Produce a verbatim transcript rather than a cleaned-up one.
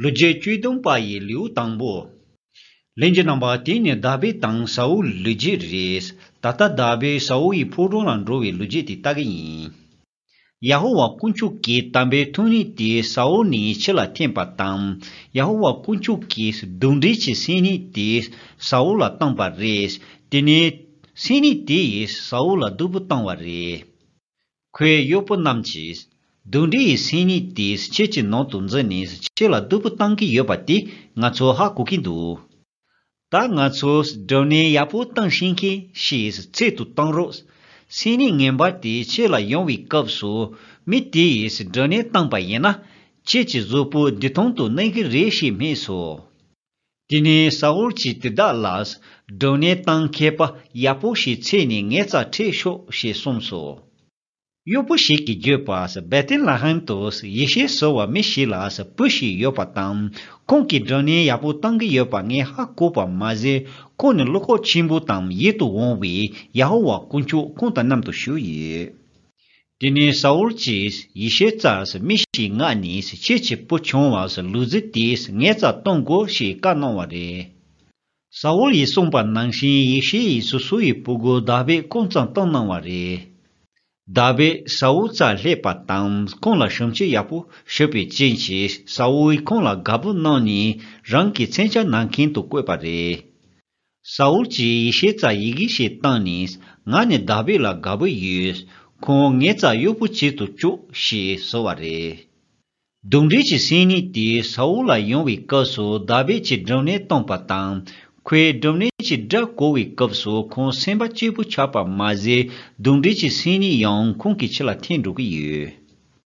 ལོ་རྒྱུས་བཅུ་བདུན་པ་ཡི་ལེའུ་དང་པོ། ལྷན་རྒྱས་རྣམ་པ། དེ་ནི་དཱ་བིད་དང་ས་ཨུལ་ལོ་རྒྱུས་རེད། ད་ལྟ་དཱ་བིད་ས་ཨུལ་ཡི་ཕོ་བྲང་ལ་འགྲོ་བའི་ལོ་རྒྱུས་དེ་ལྟ་གི་ཡིན། ཡ་ཧོ་ཝཱ་དཀོན་མཆོག་གི་དམ་པའི་ཐུགས་ཉིད་དེ་ས་ཨུལ་ནས་ཕྱི་ལ་འཐེན་པ་དང་། ཡ་ཧོ་ཝཱ་དཀོན་མཆོག་གིས་གདོན་འདྲེ་གྱི་སེམས་ཉིད་དེ་ས་ཨུལ་ལ་བཏང་པ་རེད། དེ་ནས་སེམས་ཉིད་དེ་ཡིས་ས་ཨུལ་ལ་སྡུག་པོ་བཏང་བ་རེད། ཁོའི་གཡོག་པོ་རྣམས་ཀྱིས། གདོན་འདྲེ་ཡི་སེམས་ཉིད་དེས་ཁྱེད་ཀྱི་ནང་དུ་འཛུལ་ནས་ཁྱེད་ལ་སྡུག་པོ་བཏང་གི་ཡོད་པ་དེ་ང་ཚོ་ཧ་གོ་གི་འདུག་ད་ང་ཚོས་སྡུག་བསྔལ་ཡག་པོ་བཏང་ཤེས་མཁན་ཞིག་ཚད་དུ་བཏང་རོགས། སེམས་ཉིད་ངན་པ་དེ་ཁྱེད་ལ་ཡོང་བའི་སྐབས་སུ་མི་དེ་ཡིས་སྡུག་བསྔལ་བཏང་པ་ཡིན་ན། ཁྱེད་ཀྱི་གཟུགས་པོ་འདི་ཐོང་དུ་གནས་ཀྱི་རེད་ཞེས་སྨྲས་སོ། དེ་ནས་ས་ཨུལ་གྱིས་དེ་དག་ལ། སྡུག་བསྔལ་བཏང་མཁས་པ་ཡག་པོ་ཞིག་འཚོལ་ནས་ངའི་རྩར་ཁྲིད་ཤོག་ཞེས་གསུངས་སོ། གཡོག་པོ་ཞིག་གིས་བརྗོད་པ། བེ་ཐེ་ལེ་ཧེམ་དུ་ཡེ་ཤེས་ཟེར་བ་མི་ཞིག་ལ་བུ་ཞིག་ཡོད་པ་དང་། ཁོང་གིས་སྡུག་བསྔལ་ཡག་པོ་བཏང་གི་ཡོད་པ་ངས་ཧ་གོ་བ་མ་ཟད། ཁོང་ནི་བློ་ཁོག་ཆེན་པོ་དང་ཡིད་དུ་འོང་བའི་ཡ་ཧོ་ཝཱ་དཀོན་མཆོག་ཁོང་དང་མཉམ་དུ་བཞུགས་ཡོད། དེ་ནས་ས་ཨུལ་གྱིས་ཡེ་ཤེས་རྩར་མི་ཞིག་མངགས་ནས། ཁྱེད་ཀྱི་བུ་ཆུང་བ་ལུག་རྫི་དེ་ངའི་རྩར་གཏོང་དགོས་ཞེས་བཀའ་གནང་བ་རེད། ས་ཨུལ་ཡིས་གསུངས་པ་ནང་བཞིན་ཡེ་ཤེས་ཡིས་སོ་སོ་ཡི་བུ་གུ་དཱ་བིད་སྐུ་མཚམས་བཏང་གནང་བ་རེད། དཱ་བིད་ས་ཨུལ་རྩར་སླེབས་པ་དང་ཁོང་ལ་ཞབས་ཕྱི་ཡག་པོ་ཞུས་པའི་རྐྱེན་གྱིས། ས་ཨུལ་ཁོང་ལ་དགའ་པོ་གནང་ནས་རང་གི་མཚོན་ཆ་གནང་མཁན་དུ་བསྐོས་པ་རེད། ས་ཨུལ་གྱིས་ཡེ་ཤེས་རྩར་ཡི་གེ་ཞིག་བཏང་ནས། ང་ནི་དཱ་བིད་ལ་དགའ་པོ་ཡོད། ཁོང་ངའི་རྩར་གཡོག་པོ་བྱེད་དུ་བཅུག་ཞེས་ཟེར་བ་རེད། གདོན་འདྲེ་གྱི་སེམས་ཉིད་དེ་ས་ཨུལ་ལ་ཡོང་བའི་སྐབས་སུ་དཱ་བིད་ཀྱིས་སྡུག་བསྔལ་བཏང་པ་དང་། ཁོས་སྡུག་བསྔལ་གྱི་སྒྲ་གོ་བའི་སྐབས་སུ་ཁོང་སེམས་པ་སྐྱིད་པོ་ཆགས་པ་མ་ཟད། གདོན་འདྲེ་གྱི་སེམས་ཉིད་ཡང་ཁོང་གི་ཕྱི་ལ་འཐེན་འགྲོ་གི་ཡོད།